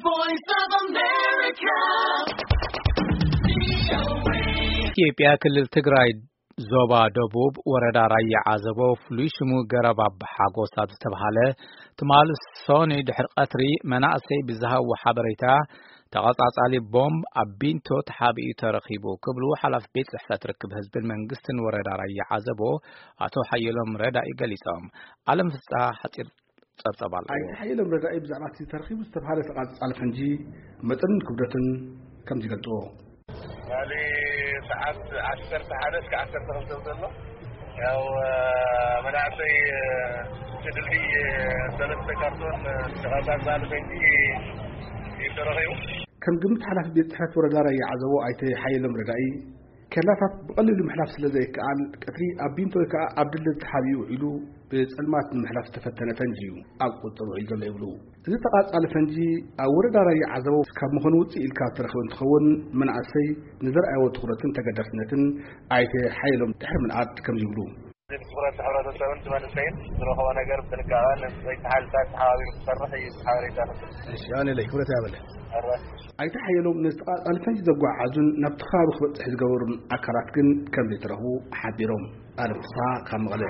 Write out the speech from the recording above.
Voice of America. ኢትዮጵያ ክልል ትግራይ ዞባ ደቡብ ወረዳ ራያ ዓዘቦ ፍሉይ ሽሙ ገረብ ኣባ ሓጎስ ኣብ ዝተብሃለ ትማሊ ሰኑይ ድሕሪ ቀትሪ መናእሰይ ብዝሃብዎ ሓበሬታ ተቐጻጻሊ ቦምብ ኣብ ቢንቶ ተሓቢኡ ተረኺቡ ክብሉ ሓላፊ ቤት ጽሕፈት ርክብ ህዝብን መንግስትን ወረዳ ራያ ዓዘቦ ኣቶ ሓየሎም ረዳኢ ገሊጾም። ኣለም ፍስሓ ሓጺር ጸብጸብ ኣሎ። ኣይተ ሓየሎም ረዳኢ ብዛዕባ እቲ ተረኺቡ ዝተብሃለ ተቓጻጻሊ ፈንጂ መጠንን ክብደትን ከምዚ ይገልጽዎ። ትማሊ ሰዓት ዓሰርተ ሓደ እስከ ዓሰርተ ክልተ ዘሎ ያው መናእሰይ እቲ ድልድይ ሰለስተ ካርቶን ተቓጻጻሊ ፈንጂ እዩ ተረኺቡ። ከም ግምት ሓላፊ ቤት ጽሕፈት ወረዳ ራያ ዓዘቦ ኣይተ ሓየሎም ረዳኢ፣ ኬላታት ብቐሊሉ ምሕላፍ ስለ ዘይከኣል ቀትሪ ኣብ ቢንቶ ወይ ከዓ ኣብ ድልድል ተሓቢኡ ውዒሉ ብጸልማት ንምሕላፍ ዝተፈተነ ፈንጂ እዩ ኣብ ቁጽጥር ውዒሉ ዘሎ ይብሉ። እዚ ተቓጻሊ ፈንጂ ኣብ ወረዳ ራያ ዓዘቦ ካብ ምዃኑ ውፅእ ኢልካ ዝተረኸበ እንትኸውን መናእሰይ ንዘርኣይዎ ትኹረትን ተገዳስነትን ኣይተ ሓየሎም ድሕሪ ምንኣድ ከምዚ ይብሉ። እዚ ብትኹረት ሕብረተሰብን መንእሰይን ዝረኸቦ ነገር ብጥንቃቐ ነቲ ሓይልታት ተሓባቢሩ ክሰርሕ እዩ ሓበሬታ። እሺ ኣነ ለይ ክብረት ያበለ። ኣይተ ሓየሎም ነዚ ተቓጻሊ ፈንጂ ዘጓዓዙን ናብቲ ከባቢ ክበፅሕ ዝገበሩን ኣካላት ግን ከም ዘይተረኽቡ ሓቢሮም። ኣለም ፍስሓ ካብ መቐለ።